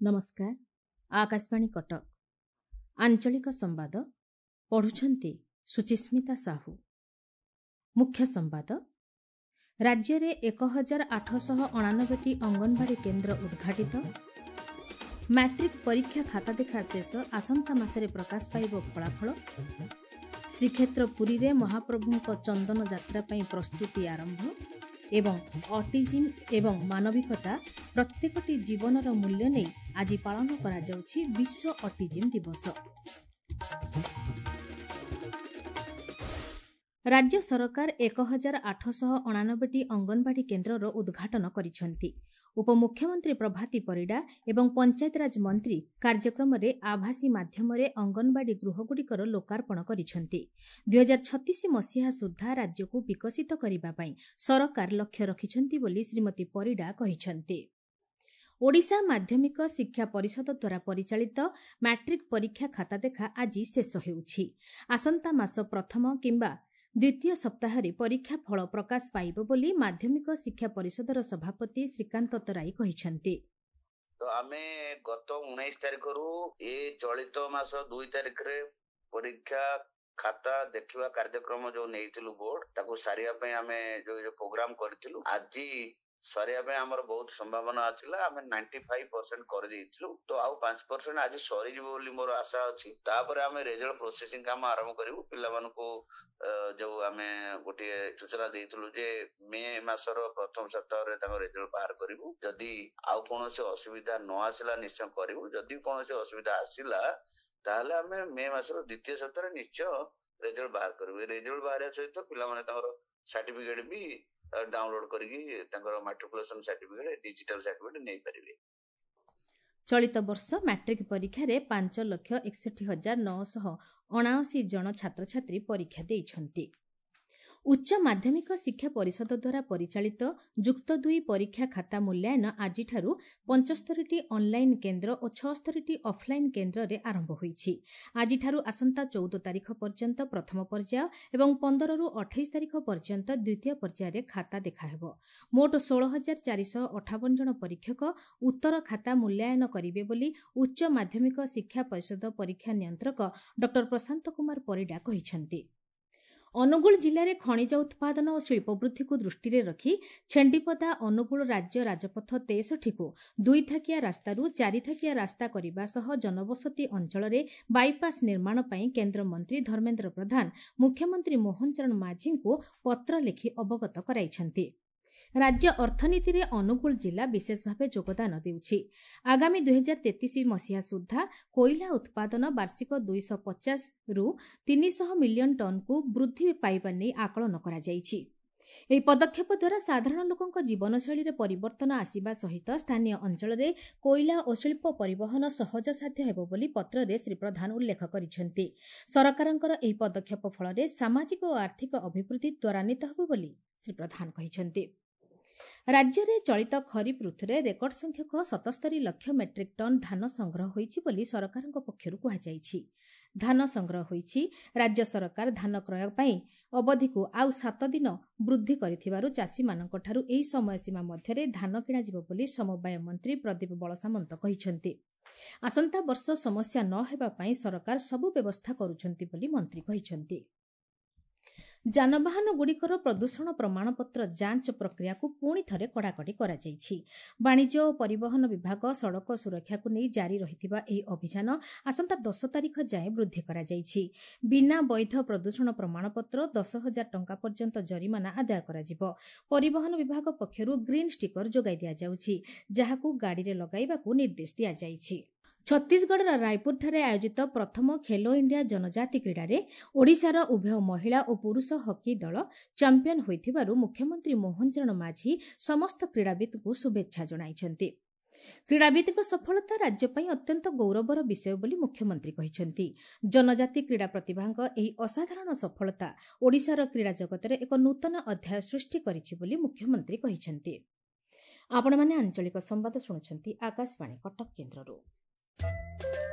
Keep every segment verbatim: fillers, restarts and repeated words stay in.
ନମସ୍କାର, ଆକାଶବାଣୀ କଟକ। ଆଞ୍ଚଳିକ ସମ୍ବାଦ ପଢ଼ୁଛନ୍ତି ସୁଚିସ୍ମିତା ସାହୁ। ମୁଖ୍ୟ ସମ୍ବାଦ: ରାଜ୍ୟରେ ଏକ ହଜାର ଆଠଶହ ଅଣାନବେଟି ଅଙ୍ଗନବାଡ଼ି କେନ୍ଦ୍ର ଉଦ୍ଘାଟିତ। ମାଟ୍ରିକ୍ ପରୀକ୍ଷା ଖାତା ଦେଖା ଶେଷ, ଆସନ୍ତା ମାସରେ ପ୍ରକାଶ ପାଇବ ଫଳାଫଳ। ଶ୍ରୀକ୍ଷେତ୍ର ପୁରୀରେ ମହାପ୍ରଭୁଙ୍କ ଚନ୍ଦନ ଯାତ୍ରା ପାଇଁ ପ୍ରସ୍ତୁତି ଆରମ୍ଭ। ଏବଂ ଅଟିଜିମ୍ ଏବଂ ମାନବିକତା ପ୍ରତ୍ୟେକଟି ଜୀବନର ମୂଲ୍ୟ ନେଇ ଆଜି ପାଳନ କରାଯାଉଛି ବିଶ୍ୱ ଅଟିଜିମ୍ ଦିବସ। ରାଜ୍ୟ ସରକାର ଏକ ହଜାର ଆଠଶହ ଅଣାନବେଟି ଅଙ୍ଗନବାଡ଼ି କେନ୍ଦ୍ରର ଉଦ୍ଘାଟନ କରିଛନ୍ତି। ଉପମୁଖ୍ୟମନ୍ତ୍ରୀ ପ୍ରଭାତୀ ପରିଡ଼ା ଏବଂ ପଞ୍ଚାୟତିରାଜ ମନ୍ତ୍ରୀ କାର୍ଯ୍ୟକ୍ରମରେ ଆଭାସୀ ମାଧ୍ୟମରେ ଅଙ୍ଗନବାଡ଼ି ଗୃହଗୁଡ଼ିକର ଲୋକାର୍ପଣ କରିଛନ୍ତି। ଦୁଇହଜାର ଛତିଶ ମସିହା ସୁଦ୍ଧା ରାଜ୍ୟକୁ ବିକଶିତ କରିବା ପାଇଁ ସରକାର ଲକ୍ଷ୍ୟ ରଖିଛନ୍ତି ବୋଲି ଶ୍ରୀମତୀ ପରିଡ଼ା କହିଛନ୍ତି। ଓଡ଼ିଶା ମାଧ୍ୟମିକ ଶିକ୍ଷା ପରିଷଦ ଦ୍ୱାରା ପରିଚାଳିତ ମାଟ୍ରିକ୍ ପରୀକ୍ଷା ଖାତା ଦେଖା ଆଜି ଶେଷ ହେଉଛି। ଆସନ୍ତା ମାସ ପ୍ରଥମ କିମ୍ବା ଦ୍ୱିତୀୟ ସପ୍ତାହରେ ପରୀକ୍ଷା ଫଳ ପ୍ରକାଶ ପାଇବ ବୋଲି ମାଧ୍ୟମିକ ଶିକ୍ଷା ପରିଷଦର ସଭାପତି ଶ୍ରୀକାନ୍ତ ତରାଇ କହିଛନ୍ତି। ତ ଆମେ ଗତ ଉଣେଇଶ ତାରିଖରୁ ଏ ଚଳିତ ମାସ ଦୁଇ ତାରିଖରେ ପରୀକ୍ଷା ଖାତା ଦେଖିବା କାର୍ଯ୍ୟକ୍ରମ ଯୋଉ ନେଇଥିଲୁ ବୋର୍ଡ, ତାକୁ ସାରିବା ପାଇଁ ଆମେ ଯୋଉ ଯୋଉ ପ୍ରୋଗ୍ରାମ କରିଥିଲୁ, ଆଜି ସରିବା ପାଇଁ ଆମର ବହୁତ ସମ୍ଭାବନା ଥିଲା। ଆମେ ନାଇଣ୍ଟି ଫାଇଭ ପରସେଣ୍ଟ କରିଦେଇଥିଲୁ, ତ ଆଉ ପାଞ୍ଚ ପରସେଣ୍ଟ ଆଜି ସରିଯିବ ବୋଲି ମୋର ଆଶା ଅଛି। ତାପରେ ଆମେ ରେଜଲ୍ଟ ପ୍ରୋସେସିଂ କାମ ଆରମ୍ଭ କରିବୁ। ପିଲାମାନଙ୍କୁ ଯୋଉ ଆମେ ଗୋଟିଏ ସୂଚନା ଦେଇଥିଲୁ ଯେ ମେ ମାସର ପ୍ରଥମ ସପ୍ତାହରେ ତାଙ୍କ ରେଜଲ୍ଟ ବାହାର କରିବୁ। ଯଦି ଆଉ କୌଣସି ଅସୁବିଧା ନ ଆସିଲା ନିଶ୍ଚୟ କରିବୁ। ଯଦି କୌଣସି ଅସୁବିଧା ଆସିଲା ତାହେଲେ ଆମେ ମେ ମାସର ଦ୍ୱିତୀୟ ସପ୍ତାହରେ ନିଶ୍ଚୟ ରେଜଲ୍ଟ ବାହାର କରିବୁ। ରେଜଲ୍ଟ ବାହାରିବା ସହିତ ପିଲାମାନେ ତାଙ୍କର ସାର୍ଟିଫିକେଟ ବି ଡାଉନଲୋଡ କରିକି ତାଙ୍କର ମାଟ୍ରିକୁଲେସନ ସାର୍ଟିଫିକେଟ, ଡିଜିଟାଲ ସାର୍ଟିଫିକେଟ ନେଇପାରିବେ। ଚଳିତ ବର୍ଷ ମାଟ୍ରିକ୍ ପରୀକ୍ଷାରେ ପାଞ୍ଚ ଲକ୍ଷ ଏକଷଠି ହଜାର ନଅଶହ ଅଣାଅଶୀ ଜଣ ଛାତ୍ରଛାତ୍ରୀ ପରୀକ୍ଷା ଦେଇଛନ୍ତି। ଉଚ୍ଚ ମାଧ୍ୟମିକ ଶିକ୍ଷା ପରିଷଦ ଦ୍ୱାରା ପରିଚାଳିତ ଯୁକ୍ତ ଦୁଇ ପରୀକ୍ଷା ଖାତା ମୂଲ୍ୟାୟନ ଆଜିଠାରୁ ପଞ୍ଚସ୍ତରୀଟି ଅନ୍ଲାଇନ୍ କେନ୍ଦ୍ର ଓ ଛଅସ୍ତରୀଟି ଅଫ୍ଲାଇନ୍ କେନ୍ଦ୍ରରେ ଆରମ୍ଭ ହୋଇଛି। ଆଜିଠାରୁ ଆସନ୍ତା ଚଉଦ ତାରିଖ ପର୍ଯ୍ୟନ୍ତ ପ୍ରଥମ ପର୍ଯ୍ୟାୟ ଏବଂ ପନ୍ଦରରୁ ଅଠେଇଶ ତାରିଖ ପର୍ଯ୍ୟନ୍ତ ଦ୍ୱିତୀୟ ପର୍ଯ୍ୟାୟରେ ଖାତା ଦେଖାହେବ। ମୋଟ ଷୋହଳ ହଜାର ଚାରିଶହ ଅଠାବନ ଜଣ ପରୀକ୍ଷକ ଉତ୍ତର ଖାତା ମୂଲ୍ୟାୟନ କରିବେ ବୋଲି ଉଚ୍ଚ ମାଧ୍ୟମିକ ଶିକ୍ଷା ପରିଷଦ ପରୀକ୍ଷା ନିୟନ୍ତ୍ରକ ଡକ୍ଟର ପ୍ରଶାନ୍ତ କୁମାର ପରିଡ଼ା କହିଛନ୍ତି। ଅନୁଗୁଳ ଜିଲ୍ଲାରେ ଖଣିଜ ଉତ୍ପାଦନ ଓ ଶିଳ୍ପ ବୃଦ୍ଧିକୁ ଦୃଷ୍ଟିରେ ରଖି ଛେଣ୍ଡିପଦା ଅନୁଗୁଳ ରାଜ୍ୟ ରାଜପଥ ତେଷଠିକୁ ଦୁଇଥାକିଆ ରାସ୍ତାରୁ ଚାରିଥାକିଆ ରାସ୍ତା କରିବା ସହ ଜନବସତି ଅଞ୍ଚଳରେ ବାଇପାସ୍ ନିର୍ମାଣ ପାଇଁ କେନ୍ଦ୍ରମନ୍ତ୍ରୀ ଧର୍ମେନ୍ଦ୍ର ପ୍ରଧାନ ମୁଖ୍ୟମନ୍ତ୍ରୀ ମୋହନ ଚରଣ ମାଝୀଙ୍କୁ ପତ୍ର ଲେଖି ଅବଗତ କରାଇଛନ୍ତି। ରାଜ୍ୟ ଅର୍ଥନୀତିରେ ଅନୁଗୁଳ ଜିଲ୍ଲା ବିଶେଷ ଭାବେ ଯୋଗଦାନ ଦେଉଛି। ଆଗାମୀ ଦୁଇହଜାର ତେତିଶ ମସିହା ସୁଦ୍ଧା କୋଇଲା ଉତ୍ପାଦନ ବାର୍ଷିକ ଦୁଇଶହ ପଚାଶରୁ ତିନିଶହ ମିଲିୟନ ଟନ୍କୁ ବୃଦ୍ଧି ପାଇବା ନେଇ ଆକଳନ କରାଯାଇଛି। ଏହି ପଦକ୍ଷେପ ଦ୍ୱାରା ସାଧାରଣ ଲୋକଙ୍କ ଜୀବନଶୈଳୀରେ ପରିବର୍ତ୍ତନ ଆସିବା ସହିତ ସ୍ଥାନୀୟ ଅଞ୍ଚଳରେ କୋଇଲା ଓ ଶିଳ୍ପ ପରିବହନ ସହଜସାଧ୍ୟ ହେବ ବୋଲି ପତ୍ରରେ ଶ୍ରୀ ପ୍ରଧାନ ଉଲ୍ଲେଖ କରିଛନ୍ତି। ସରକାରଙ୍କର ଏହି ପଦକ୍ଷେପ ଫଳରେ ସାମାଜିକ ଓ ଆର୍ଥିକ ଅଭିବୃଦ୍ଧି ତ୍ୱରାନ୍ୱିତ ହେବ ବୋଲି ଶ୍ରୀ ପ୍ରଧାନ କହିଛନ୍ତି। ରାଜ୍ୟରେ ଚଳିତ ଖରିଫ ଋତୁରେ ରେକର୍ଡ ସଂଖ୍ୟକ ସତସ୍ତରୀ ଲକ୍ଷ ମେଟ୍ରିକ୍ ଟନ୍ ଧାନ ସଂଗ୍ରହ ହୋଇଛି ବୋଲି ସରକାରଙ୍କ ପକ୍ଷରୁ କୁହାଯାଇଛି। ଧାନ ସଂଗ୍ରହ ହୋଇଛି। ରାଜ୍ୟ ସରକାର ଧାନ କ୍ରୟ ପାଇଁ ଅବଧିକୁ ଆଉ ସାତ ଦିନ ବୃଦ୍ଧି କରିଥିବାରୁ ଚାଷୀମାନଙ୍କଠାରୁ ଏହି ସମୟସୀମା ମଧ୍ୟରେ ଧାନ କିଣାଯିବ ବୋଲି ସମବାୟ ମନ୍ତ୍ରୀ ପ୍ରଦୀପ ବଳସାମନ୍ତ କହିଛନ୍ତି। ଆସନ୍ତା ବର୍ଷ ସମସ୍ୟା ନ ହେବା ପାଇଁ ସରକାର ସବୁ ବ୍ୟବସ୍ଥା କରୁଛନ୍ତି ବୋଲି ମନ୍ତ୍ରୀ କହିଛନ୍ତି। ଯାନବାହନଗୁଡ଼ିକର ପ୍ରଦୂଷଣ ପ୍ରମାଣପତ୍ର ଯାଞ୍ଚ ପ୍ରକ୍ରିୟାକୁ ପୁଣି ଥରେ କଡ଼ାକଡ଼ି କରାଯାଇଛି। ବାଣିଜ୍ୟ ଓ ପରିବହନ ବିଭାଗ ସଡ଼କ ସୁରକ୍ଷାକୁ ନେଇ ଜାରି ରହିଥିବା ଏହି ଅଭିଯାନ ଆସନ୍ତା ଦଶ ତାରିଖ ଯାଏଁ ବୃଦ୍ଧି କରାଯାଇଛି। ବିନା ବୈଧ ପ୍ରଦୂଷଣ ପ୍ରମାଣପତ୍ର ଦଶ ହଜାର ଟଙ୍କା ପର୍ଯ୍ୟନ୍ତ ଜରିମାନା ଆଦାୟ କରାଯିବ। ପରିବହନ ବିଭାଗ ପକ୍ଷରୁ ଗ୍ରୀନ୍ ଷ୍ଟିକର ଯୋଗାଇ ଦିଆଯାଉଛି, ଯାହାକୁ ଗାଡ଼ିରେ ଲଗାଇବାକୁ ନିର୍ଦ୍ଦେଶ ଦିଆଯାଇଛି। ଛତିଶଗଡ଼ର ରାୟପୁରଠାରେ ଆୟୋଜିତ ପ୍ରଥମ ଖେଲୋ ଇଣ୍ଡିଆ ଜନଜାତି କ୍ରୀଡ଼ାରେ ଓଡ଼ିଶାର ଉଭୟ ମହିଳା ଓ ପୁରୁଷ ହକି ଦଳ ଚାମ୍ପିୟନ ହୋଇଥିବାରୁ ମୁଖ୍ୟମନ୍ତ୍ରୀ ମୋହନ ଚରଣ ମାଝୀ ସମସ୍ତ କ୍ରୀଡ଼ାବିତ୍ଙ୍କୁ ଶୁଭେଚ୍ଛା ଜଣାଇଛନ୍ତି। କ୍ରୀଡ଼ାବିତ୍ଙ୍କ ସଫଳତା ରାଜ୍ୟ ପାଇଁ ଅତ୍ୟନ୍ତ ଗୌରବର ବିଷୟ ବୋଲି ମୁଖ୍ୟମନ୍ତ୍ରୀ କହିଛନ୍ତି। ଜନଜାତି କ୍ରୀଡ଼ା ପ୍ରତିଭାଙ୍କ ଏହି ଅସାଧାରଣ ସଫଳତା ଓଡ଼ିଶାର କ୍ରୀଡ଼ା ଜଗତରେ ଏକ ନୂତନ ଅଧ୍ୟାୟ ସୃଷ୍ଟି କରିଛି ବୋଲି ମୁଖ୍ୟମନ୍ତ୍ରୀ କହିଛନ୍ତି। ଆପଣମାନେ ଆଞ୍ଚଳିକ ସମ୍ବାଦ ଶୁଣୁଛନ୍ତି ଆକାଶବାଣୀ କଟକ କେନ୍ଦ୍ରରୁ।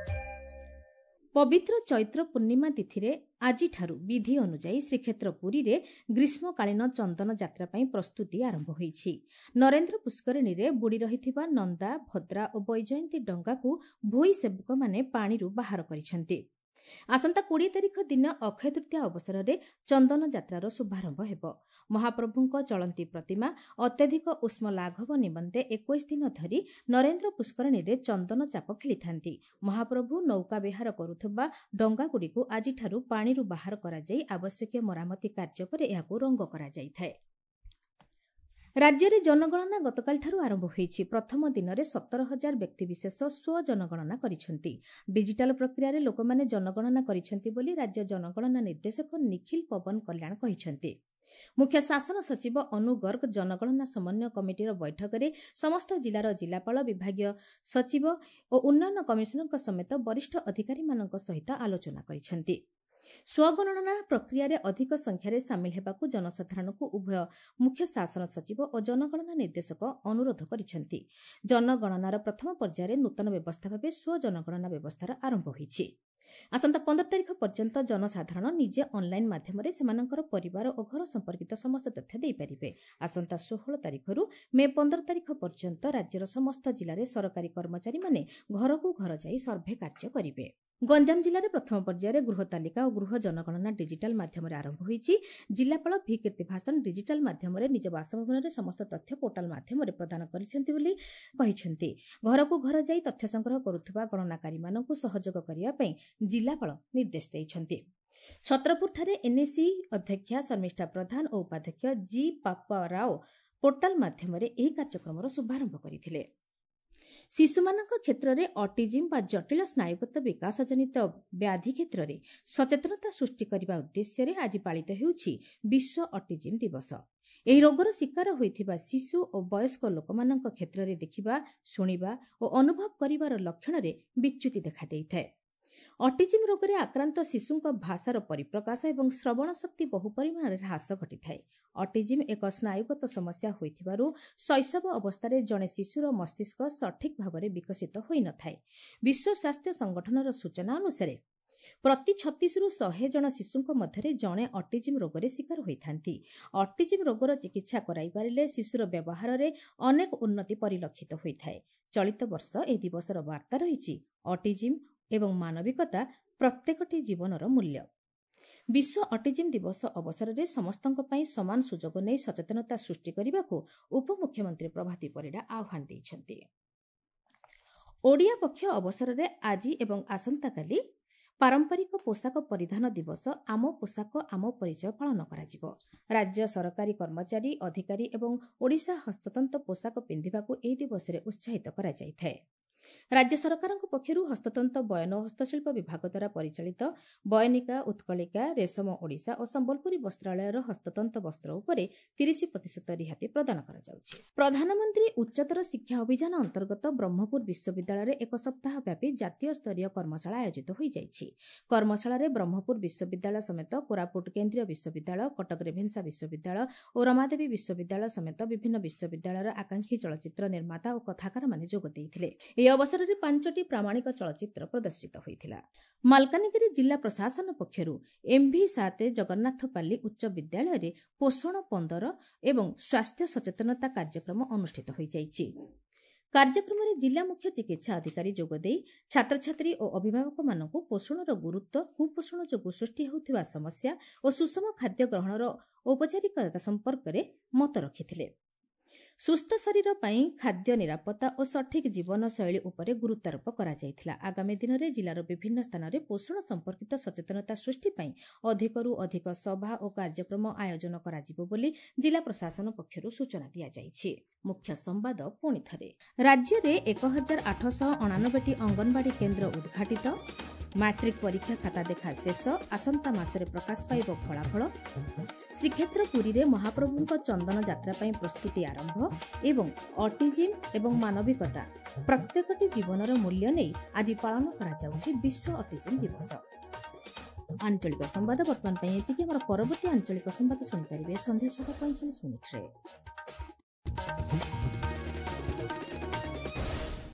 ପବିତ୍ର ଚୈତ୍ର ପୂର୍ଣ୍ଣିମା ତିଥିରେ ଆଜିଠାରୁ ବିଧି ଅନୁଯାୟୀ ଶ୍ରୀକ୍ଷେତ୍ର ପୁରୀରେ ଗ୍ରୀଷ୍ମକାଳୀନ ଚନ୍ଦନ ଯାତ୍ରା ପାଇଁ ପ୍ରସ୍ତୁତି ଆରମ୍ଭ ହୋଇଛି। ନରେନ୍ଦ୍ର ପୁଷ୍କରିଣୀରେ ବୁଡ଼ି ରହିଥିବା ନନ୍ଦା, ଭଦ୍ରା ଓ ବୈଜୟନ୍ତୀ ଡଙ୍ଗାକୁ ଭୋଇ ସେବକମାନେ ପାଣିରୁ ବାହାର କରିଛନ୍ତି। ଆସନ୍ତା କୋଡ଼ିଏ ତାରିଖ ଦିନ ଅକ୍ଷୟ ତୃତୀୟା ଅବସରରେ ଚନ୍ଦନ ଯାତ୍ରାର ଶୁଭାରମ୍ଭ ହେବ। ମହାପ୍ରଭୁଙ୍କ ଚଳନ୍ତି ପ୍ରତିମା ଅତ୍ୟଧିକ ଉଷ୍ମ ଲାଘବ ନିମନ୍ତେ ଏକୋଇଶ ଦିନ ଧରି ନରେନ୍ଦ୍ର ପୁଷ୍କରିଣୀରେ ଚନ୍ଦନ ଚାପ ଖେଳିଥାନ୍ତି। ମହାପ୍ରଭୁ ନୌକା ବିହାର କରୁଥିବା ଡଙ୍ଗାଗୁଡ଼ିକୁ ଆଜିଠାରୁ ପାଣିରୁ ବାହାର କରାଯାଇ ଆବଶ୍ୟକୀୟ ମରାମତି କାର୍ଯ୍ୟ ପରେ ଏହାକୁ ରଙ୍ଗ କରାଯାଇଥାଏ। ରାଜ୍ୟରେ ଜନଗଣନା ଗତକାଲିଠାରୁ ଆରମ୍ଭ ହୋଇଛି। ପ୍ରଥମ ଦିନରେ ସତର ହଜାର ବ୍ୟକ୍ତିବିଶେଷ ସ୍ୱଜନଗଣନା କରିଛନ୍ତି। ଡିଜିଟାଲ ପ୍ରକ୍ରିୟାରେ ଲୋକମାନେ ଜନଗଣନା କରିଛନ୍ତି ବୋଲି ରାଜ୍ୟ ଜନଗଣନା ନିର୍ଦ୍ଦେଶକ ନିଖିଲ ପବନ କଲ୍ୟାଣ କହିଛନ୍ତି। ମୁଖ୍ୟ ଶାସନ ସଚିବ ଅନୁ ଗର୍ଗ ଜନଗଣନା ସମନ୍ୱୟ କମିଟିର ବୈଠକରେ ସମସ୍ତ ଜିଲ୍ଲାର ଜିଲ୍ଲାପାଳ, ବିଭାଗୀୟ ସଚିବ ଓ ଉନ୍ନୟନ କମିଶନରଙ୍କ ସମେତ ବରିଷ୍ଠ ଅଧିକାରୀମାନଙ୍କ ସହିତ ଆଲୋଚନା କରିଛନ୍ତି। ସ୍ୱଗଣନା ପ୍ରକ୍ରିୟାରେ ଅଧିକ ସଂଖ୍ୟାରେ ସାମିଲ ହେବାକୁ ଜନସାଧାରଣଙ୍କୁ ଉଭୟ ମୁଖ୍ୟ ଶାସନ ସଚିବ ଓ ଜନଗଣନା ନିର୍ଦ୍ଦେଶକ ଅନୁରୋଧ କରିଛନ୍ତି। ଜନଗଣନାର ପ୍ରଥମ ପର୍ଯ୍ୟାୟରେ ନୂତନ ବ୍ୟବସ୍ଥା ଭାବେ ସ୍ୱଜନଗଣନା ବ୍ୟବସ୍ଥାର ଆରମ୍ଭ ହୋଇଛି। ଆସନ୍ତା ପନ୍ଦର ତାରିଖ ପର୍ଯ୍ୟନ୍ତ ଜନସାଧାରଣ ନିଜେ ଅନ୍ଲାଇନ୍ ମାଧ୍ୟମରେ ସେମାନଙ୍କର ପରିବାର ଓ ଘର ସମ୍ପର୍କିତ ସମସ୍ତ ତଥ୍ୟ ଦେଇପାରିବେ। ଆସନ୍ତା ଷୋହଳ ତାରିଖରୁ ମେ ପନ୍ଦର ତାରିଖ ପର୍ଯ୍ୟନ୍ତ ରାଜ୍ୟର ସମସ୍ତ ଜିଲ୍ଲାରେ ସରକାରୀ କର୍ମଚାରୀମାନେ ଘରକୁ ଘର ଯାଇ ସର୍ଭେ କାର୍ଯ୍ୟ କରିବେ। ଗଞ୍ଜାମ ଜିଲ୍ଲାରେ ପ୍ରଥମ ପର୍ଯ୍ୟାୟରେ ଗୃହ ତାଲିକା ଓ ଗୃହ ଜନଗଣନା ଡିଜିଟାଲ ମାଧ୍ୟମରେ ଆରମ୍ଭ ହୋଇଛି। ଜିଲ୍ଲାପାଳ ଭି କୀର୍ତ୍ତିଭାସନ ଡିଜିଟାଲ ମାଧ୍ୟମରେ ନିଜ ବାସଭବନରେ ସମସ୍ତ ତଥ୍ୟ ପୋର୍ଟାଲ ମାଧ୍ୟମରେ ପ୍ରଦାନ କରିଛନ୍ତି ବୋଲି କହିଛନ୍ତି। ଘରକୁ ଘର ଯାଇ ତଥ୍ୟ ସଂଗ୍ରହ କରୁଥିବା ଗଣନାକାରୀମାନଙ୍କୁ ସହଯୋଗ କରିବା ପାଇଁ ଜିଲ୍ଲାପାଳ ନିର୍ଦ୍ଦେଶ ଦେଇଛନ୍ତି। ଛତ୍ରପୁରଠାରେ ଏନ୍ଏସି ଅଧ୍ୟକ୍ଷା ଶର୍ମିଷ୍ଠା ପ୍ରଧାନ ଓ ଉପାଧ୍ୟକ୍ଷ ଜି ପାପା ରାଓ ପୋର୍ଟାଲ ମାଧ୍ୟମରେ ଏହି କାର୍ଯ୍ୟକ୍ରମର ଶୁଭାରମ୍ଭ କରିଥିଲେ। ଶିଶୁମାନଙ୍କ କ୍ଷେତ୍ରରେ ଅଟିଜିମ୍ ବା ଜଟିଳ ସ୍ନାୟୁଗତ ବିକାଶଜନିତ ବ୍ୟାଧି କ୍ଷେତ୍ରରେ ସଚେତନତା ସୃଷ୍ଟି କରିବା ଉଦ୍ଦେଶ୍ୟରେ ଆଜି ପାଳିତ ହେଉଛି ବିଶ୍ୱ ଅଟିଜିମ୍ ଦିବସ। ଏହି ରୋଗର ଶିକାର ହୋଇଥିବା ଶିଶୁ ଓ ବୟସ୍କ ଲୋକମାନଙ୍କ କ୍ଷେତ୍ରରେ ଦେଖିବା, ଶୁଣିବା ଓ ଅନୁଭବ କରିବାର ଲକ୍ଷଣରେ ବିଚ୍ୟୁତି ଦେଖାଦେଇଥାଏ। ଅଟିଜିମ୍ ରୋଗରେ ଆକ୍ରାନ୍ତ ଶିଶୁଙ୍କ ଭାଷାର ପରିପ୍ରକାଶ ଏବଂ ଶ୍ରବଣ ଶକ୍ତି ବହୁ ପରିମାଣରେ ହ୍ରାସ ଘଟିଥାଏ। ଅଟିଜିମ୍ ଏକ ସ୍ନାୟୁଗତ ସମସ୍ୟା ହୋଇଥିବାରୁ ଶୈଶବ ଅବସ୍ଥାରେ ଜଣେ ଶିଶୁର ମସ୍ତିଷ୍କ ସଠିକ୍ ଭାବରେ ବିକଶିତ ହୋଇନଥାଏ। ବିଶ୍ୱ ସ୍ୱାସ୍ଥ୍ୟ ସଂଗଠନର ସୂଚନା ଅନୁସାରେ ପ୍ରତି ଛତିଶରୁ ଶହେ ଜଣ ଶିଶୁଙ୍କ ମଧ୍ୟରେ ଜଣେ ଅଟିଜିମ୍ ରୋଗରେ ଶିକାର ହୋଇଥାନ୍ତି। ଅଟିଜିମ୍ ରୋଗର ଚିକିତ୍ସା କରାଇପାରିଲେ ଶିଶୁର ବ୍ୟବହାରରେ ଅନେକ ଉନ୍ନତି ପରିଲକ୍ଷିତ ହୋଇଥାଏ। ଚଳିତ ବର୍ଷ ଏହି ଦିବସର ବାର୍ତ୍ତା ରହିଛି ଅଟିଜିମ୍ ଏବଂ ମାନବିକତା ପ୍ରତ୍ୟେକଟି ଜୀବନର ମୂଲ୍ୟ। ବିଶ୍ୱ ଅଟିଜିମ୍ ଦିବସ ଅବସରରେ ସମସ୍ତଙ୍କ ପାଇଁ ସମାନ ସୁଯୋଗ ନେଇ ସଚେତନତା ସୃଷ୍ଟି କରିବାକୁ ଉପମୁଖ୍ୟମନ୍ତ୍ରୀ ପ୍ରଭାତୀ ପରିଡ଼ା ଆହ୍ୱାନ ଦେଇଛନ୍ତି। ଓଡ଼ିଆ ପକ୍ଷ ଅବସରରେ ଆଜି ଏବଂ ଆସନ୍ତାକାଲି ପାରମ୍ପରିକ ପୋଷାକ ପରିଧାନ ଦିବସ ଆମ ପୋଷାକ ଆମ ପରିଚୟ ପାଳନ କରାଯିବ। ରାଜ୍ୟ ସରକାରୀ କର୍ମଚାରୀ, ଅଧିକାରୀ ଏବଂ ଓଡ଼ିଶା ହସ୍ତତନ୍ତ ପୋଷାକ ପିନ୍ଧିବାକୁ ଏହି ଦିବସରେ ଉତ୍ସାହିତ କରାଯାଇଥାଏ। ରାଜ୍ୟ ସରକାରଙ୍କ ପକ୍ଷରୁ ହସ୍ତତନ୍ତ, ବୟନ ଓ ହସ୍ତଶିଳ୍ପ ବିଭାଗ ଦ୍ୱାରା ପରିଚାଳିତ ବୟନିକା, ଉତ୍କଳିକା, ରେଶମ ଓଡ଼ିଶା ଓ ସମ୍ବଲପୁରୀ ବସ୍ତ୍ରାଳୟର ହସ୍ତତନ୍ତ ବସ୍ତ୍ର ଉପରେ ତିରିଶ ପ୍ରତିଶତ ରିହାତି ପ୍ରଦାନ କରାଯାଉଛି। ପ୍ରଧାନମନ୍ତ୍ରୀ ଉଚ୍ଚତର ଶିକ୍ଷା ଅଭିଯାନ ଅନ୍ତର୍ଗତ ବ୍ରହ୍ମପୁର ବିଶ୍ୱବିଦ୍ୟାଳୟରେ ଏକ ସପ୍ତାହ ବ୍ୟାପୀ ଜାତୀୟ ସ୍ତରୀୟ କର୍ମଶାଳା ଆୟୋଜିତ ହୋଇଯାଇଛି। କର୍ମଶାଳାରେ ବ୍ରହ୍ମପୁର ବିଶ୍ୱବିଦ୍ୟାଳୟ ସମେତ କୋରାପୁଟ କେନ୍ଦ୍ରୀୟ ବିଶ୍ୱବିଦ୍ୟାଳୟ, କଟକ ରେଭେନ୍ସା ବିଶ୍ୱବିଦ୍ୟାଳୟ ଓ ରମାଦେବୀ ବିଶ୍ୱବିଦ୍ୟାଳୟ ସମେତ ବିଭିନ୍ନ ବିଶ୍ୱବିଦ୍ୟାଳୟର ଆକାଂକ୍ଷୀ ଚଳଚ୍ଚିତ୍ର ନିର୍ମାତା ଓ କଥାକାରମାନେ ଯୋଗ ଦେଇଥିଲେ। ଏହି ଅବସରରେ ପାଞ୍ଚଟି ପ୍ରାମାଣିକ ଚଳଚ୍ଚିତ୍ର ପ୍ରଦର୍ଶିତ ହୋଇଥିଲା। ମାଲକାନଗିରି ଜିଲ୍ଲା ପ୍ରଶାସନ ପକ୍ଷରୁ ଏମ୍ଭି ସାତ ଜଗନ୍ନାଥପାଲ୍ଲୀ ଉଚ୍ଚ ବିଦ୍ୟାଳୟରେ ପୋଷଣ ପନ୍ଦର ଏବଂ ସ୍ୱାସ୍ଥ୍ୟ ସଚେତନତା କାର୍ଯ୍ୟକ୍ରମ ଅନୁଷ୍ଠିତ ହୋଇଯାଇଛି। କାର୍ଯ୍ୟକ୍ରମରେ ଜିଲ୍ଲା ମୁଖ୍ୟ ଚିକିତ୍ସା ଅଧିକାରୀ ଯୋଗଦେଇ ଛାତ୍ରଛାତ୍ରୀ ଓ ଅଭିଭାବକମାନଙ୍କୁ ପୋଷଣର ଗୁରୁତ୍ୱ, କୁପୋଷଣ ଯୋଗୁଁ ସୃଷ୍ଟି ହେଉଥିବା ସମସ୍ୟା ଓ ସୁଷମ ଖାଦ୍ୟ ଗ୍ରହଣର ଔପଚାରିକତା ସମ୍ପର୍କରେ ମତ ରଖିଥିଲେ। ସୁସ୍ଥ ଶରୀର ପାଇଁ ଖାଦ୍ୟ ନିରାପତ୍ତା ଓ ସଠିକ୍ ଜୀବନଶୈଳୀ ଉପରେ ଗୁରୁତ୍ୱାରୋପ କରାଯାଇଥିଲା। ଆଗାମୀ ଦିନରେ ଜିଲ୍ଲାର ବିଭିନ୍ନ ସ୍ଥାନରେ ପୋଷଣ ସମ୍ପର୍କିତ ସଚେତନତା ସୃଷ୍ଟି ପାଇଁ ଅଧିକରୁ ଅଧିକ ସଭା ଓ କାର୍ଯ୍ୟକ୍ରମ ଆୟୋଜନ କରାଯିବ ବୋଲି ଜିଲ୍ଲା ପ୍ରଶାସନ ପକ୍ଷରୁ ସୂଚନା ଦିଆଯାଇଛି। ମୁଖ୍ୟ ସମ୍ବାଦ ପୁଣି ଥରେ, ରାଜ୍ୟରେ ଏକ ହଜାର ଆଠଶହ ଅଣାନବେଟି ଅଙ୍ଗନବାଡ଼ି କେନ୍ଦ୍ର ଉଦ୍ଘାଟିତ। ମାଟ୍ରିକ ପରୀକ୍ଷା ଖାତା ଦେଖା ଶେଷ, ଆସନ୍ତା ମାସରେ ପ୍ରକାଶ ପାଇବ ଫଳାଫଳ। ଶ୍ରୀକ୍ଷେତ୍ର ପୁରୀରେ ମହାପ୍ରଭୁଙ୍କ ଚନ୍ଦନ ଯାତ୍ରା ପାଇଁ ପ୍ରସ୍ତୁତି ଆରମ୍ଭ ଏବଂ ଅଟିଜିମ୍ ଏବଂ ମାନବିକତା ପ୍ରତ୍ୟେକଟି ଜୀବନର ମୂଲ୍ୟ ନେଇ ଆଜି ପାଳନ କରାଯାଉଛି ବିଶ୍ୱ ଅଟିଜିମ୍ ଦିବସ। ଆଞ୍ଚଳିକ ସମ୍ବାଦ ବର୍ତ୍ତମାନ ପାଇଁ ଏତିକି। ଆମର ପରବର୍ତ୍ତୀ ଆଞ୍ଚଳିକ ସମ୍ବାଦ ଶୁଣିପାରିବେ ସନ୍ଧ୍ୟା ଛଅଟା ପଇଁଚାଳିଶ ମିନିଟ୍ରେ।